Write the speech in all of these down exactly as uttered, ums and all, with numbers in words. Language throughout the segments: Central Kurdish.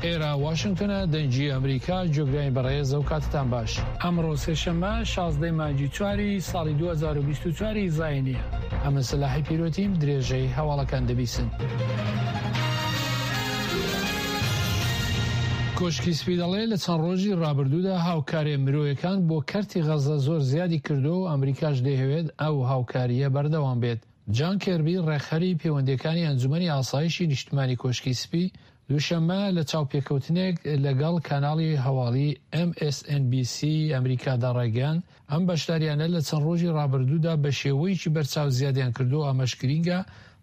ئێرە واشنگتنە، دەنگی ئەمریکا، گوێگرانی بەڕێز ئەو کاتتان باش. ئەمڕۆ سێشەممە شازدەی مانگی چواری ساڵی دوو هەزار و بیست و چوار ی زاینییە. ئەمن سەلاحی پیرۆتیم، درێژەی هەواڵەکان دەبیسن. کۆشکی سپی دەڵێ لە چەند ڕۆژی ڕابردوودا هاوکارییە مرۆیەکان بۆ کەرتی غەزە زۆر زیادی کردووە و ئەمریکاش دەیهەوێت ئەو هاوکارییە بەردەوام بێت. جان کێربی ڕێکخەری پەیوەندییەکانی ئەنجومەنی ئاسایشی نیشتمانی کۆشکی سپی دووشەممە لە چاوپێکەوتنێک لەگەڵ کەناڵی هەواڵی ئێم ئێس ئێن بی سی ئەمریکادا ڕایگەیاند ئەم بەشداریانە لە چەند ڕۆژی ڕابردوودا بە شێوەیەکی بەرچاو زیادیان کردووە، ئەمەش گرینگە،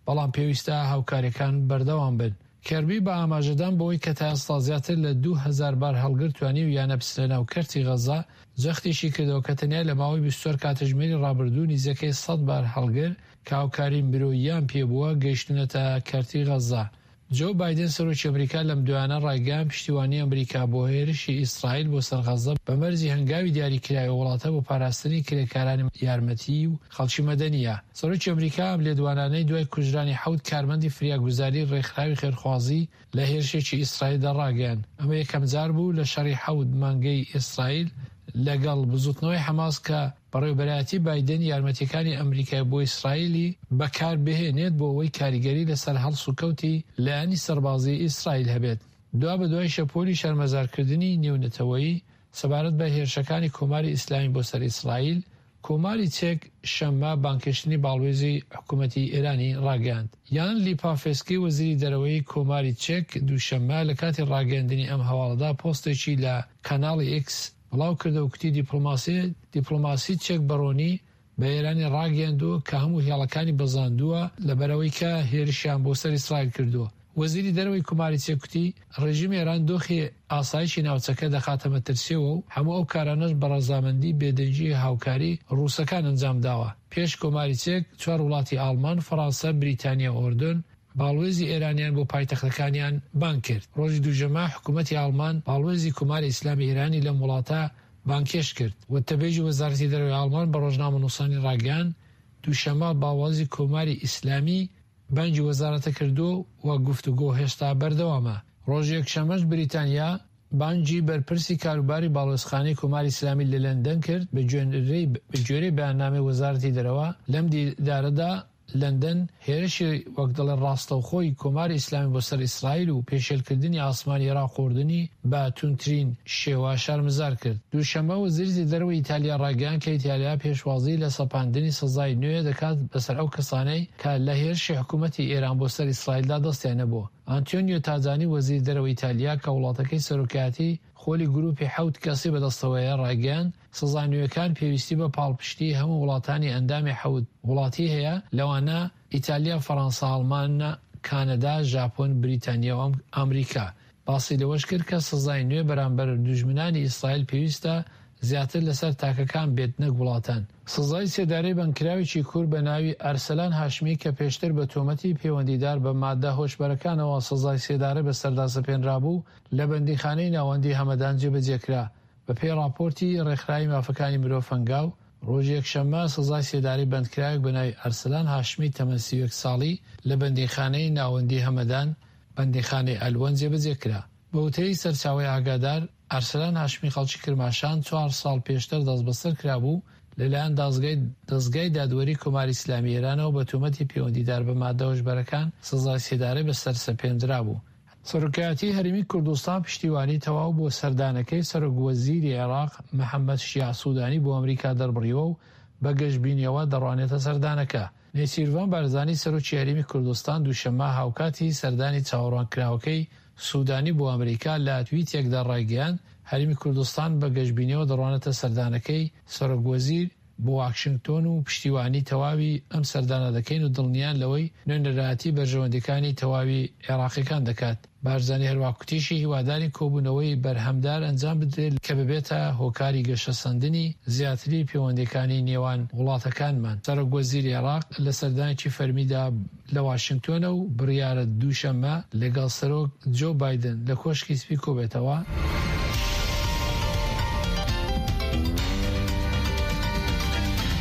بەڵام پێویستە هاوکاریەکان بەردەوام بن. کێربی بە ئاماژەدان بەوەی کە تا ئێستا زیاتر لە دوو هەزار بار هەڵگر توانیویانە بچنە ناو کەرتی غەزە، جەختیشی کردەوە کە تەنیا لە ماوەی بیست و چوار کاتژمێری ڕابردوو نزیکەی سەد بار هەڵگر کە هاوکاری مرۆییان پێبووە گەیشتوونەتە کەرتی غەزە. جۆ بایدن سەرۆکی ئەمریکا لەم دوایانە ڕایگەیاند پشتیوانی ئەمریکا بۆ هێرشی ئیسرائیل بۆ سەر غەزە بە مەرجی هەنگاوی دیاریکراوی وڵاتە بۆ پاراستنی کرێکارانی یارمەتیی و خەڵکی مەدەنییە. سەرۆکی ئەمریکا ئەم لێدوانانەی دوای کوژرانی حەوت کارمەندی فریاگوزاری ڕێکخراوی خێرخوازی لە هێرشێکی ئیسرائیلدا ڕاگەیاند. ئەمە یەکەمجار بوو لە شەڕی حەوت مانگەی ئیسرائیل لەگەڵ بزوتنەوەی حەماس کە بەڕێوەبەرایەتی بایدن یارمەتیەکانی ئەمریکای بۆ ئیسرائیلی بەکاربهێنێت بۆ ئەوەی کاریگەری لەسەر هەڵسوکەوتی لایەنی سەربازی ئیسرائیل هەبێت. دوابەدوای شەپۆلی شەرمەزارکردنی نێونەتەوەیی سەبارەت بە هێرشەکانی کۆماری ئیسلامی بۆ سەر ئیسرائیل، کۆماری چێک شەممە بانگهێشتنی باڵوێزی حکوومەتی ئێرانی ڕاگەیاند. یان لیپافسکی وەزیری دەرەوەی کۆماری چێک دووشەممە لە کاتی ڕاگەیاندنی ئەم هەواڵەدا پۆستێکی لە کەناڵی ئێکس بڵاو کردەوە کوتی دیپلۆماسی دیپلۆماسی چێک بەڕۆنی بە ئێرانی ڕاگەیاندووە کە هەموو هێڵەکانی بەزاندووە لەبەرئەوەی کە هێرشیان بۆ سەر ئیسرائیل کردووە. وەزیری دەرەوەی کۆماری چێک کوتی ڕێژیمی ئێران دۆخی ئاسایشی ناوچەکە دەخاتە مەترسیەوە و هەموو ئەو کارانەش بە ڕەزامەندی بێدەنگی هاوکاری ڕووسەکان ئەنجام داوە. پێش کۆماری چێک چوار وڵاتی ئاڵمان، فەڕانسە، بریتانیا و ئۆردۆن باڵوێزی ئێرانیان بۆ پایتەختەکانیان بانگ کرد. ڕۆژی دووشەممە حکوومەتی ئاڵمان باڵوێزی کۆماری ئیسلامی ئێرانی لەم وڵاتە بانگهێشت کرد. وتەبێژی وەزارەتی دەرەوەی ئاڵمان بە ڕۆژنامەنووسانی ڕاگەیاند دووشەممە باڵوێزی کۆماری ئیسلامی بانگی وەزارەتە کردووە و گفتوگۆ هێشتا بەردەوامە. ڕۆژی یەکشەممەش بریتانیا بانگی بەرپرسی کاروباری باڵوێزخانەی کۆماری ئیسلامی لە لەندەن کرد. بە گوێرەی بەیاننامەی وەزارەتی دەرەوە لەم دیدارەدا لەندەن هێرشی وەک دەڵێ ڕاستەوخۆی کۆماری ئیسلامی بۆ سەر ئیسرائیل و پێشێلکردنی ئاسمانی عێراق و ئوردنی بە توندترین شێوە شەرمەزار کرد. دووشەممە وەزیری دەرەوەی ئیتالیا ڕایگەیاند کە ئیتالیا پێشوازی لە سەپاندنی سزای نوێ دەکات بەسەر ئەو کەسانەی کە لە هێرشی حکوومەتی ئێران بۆ سەر ئیسرائیلدا دەستیان هەبووە. ئانتۆنیۆ تاجانی وەزیری دەرەوەی ئیتالیا کە وڵاتەکەی سەرۆکایەتی خۆلی گروپی حەوت کەسی بەدەستەوەیە ڕایگەیاند سزا نوێکان پێویستی بە پاڵپشتی هەموو وڵاتانی ئەندامی حەوت وڵاتی هەیە لەوانە ئیتالیا، فەڕەنسا، ئەڵمان، کانەدا، ژاپۆن، بریتانیا و ئەمریکا. باسی لەوەش کرد کە سزای نوێ بەرامبەر دوژمنانی ئیسرائیل پێویستە زیاتر لەسەر تاکەکان بێت نەک وڵاتان. سزای سێدارەی بەندکراوێکی کورد بە ناوی ئەرسەلان هاشمی کە پێشتر بە تۆمەتی پەیوەندیدار بە مادە هۆشبەرەکانەوە سزای سێدارە بەسەردا سەپێنرابوو لە بەندیخانەی ناوەندی هەمەدان جێبەجێکرا. بەپێی ڕاپۆرتی ڕێکخراوی مافەکانی مرۆڤ هەنگاو، ڕۆژی یەکشەممە سزای سێدارەی بەندکراوێک بە ناوی ئەرسەلان هاشمی تەمەن سی و یەک ساڵی لە بەندیخانەی ناوەندی هەمەدان، بەندیخانەی ئەلوەن جێبەجێ کرا. بە وتەی سەرچاوەی ئاگادار، ئەرسەلان هاشمی خەڵکی کرماشان چوار ساڵ پێشتر دەستبەسەر کرابوو لەلایەن دادگای دەزگای دادوەری کۆماری ئیسلامی ئێرانەوە بە تۆمەتی پەیوەندیدار بە مادە هۆشبەرەکان سزای سێدارەی بەسەر سەپێندرابوو. سەرۆکایەتی هەرێمی کوردستان پشتیوانی تەواو بۆ سەردانەکەی سەرۆک وەزیری عێراق محەمەد شیاع سودانی بۆ ئەمریکا دەربڕیوە و بە گەشبینیەوە دەڕوانێتە سەردانەکە. نێچیرڤان بارزانی سەرۆکی هەرێمی کوردستان دووشەممە هاوکاتی سەردانی چاوەڕوانکراوەکەی سودانی بۆ ئەمریکا لە تویتێکدا ڕایگەیاند، هەرێمی کوردستان بە گەشبینیەوە دەڕوانێتە سەردانەکەی سەرۆک وەزیر بۆ واشنگتۆن و پشتیوانی تەواوی ئەم سەردانە دەکەین و دڵنیان لەوەی نوێنەرایەتی بەرژەوەندیەکانی تەواوی عێراقیەکان دەکات. بارزانی هەروەها کوتیشی هیوادارین کۆبوونەوەی بەرهەمدار ئەنجام بدرێت کە ببێتە هۆکاری گەشەسەندنی زیاتری پەیوەندیەکانی نێوان وڵاتەکانمان. سەرۆک وەزیری عێراق لە سەردانێکی فەرمیدا لە واشنگتۆنە و بڕیارە دووشەممە لەگەڵ سەرۆک جۆ بایدن لە کۆشکی سپی کۆبێتەوە.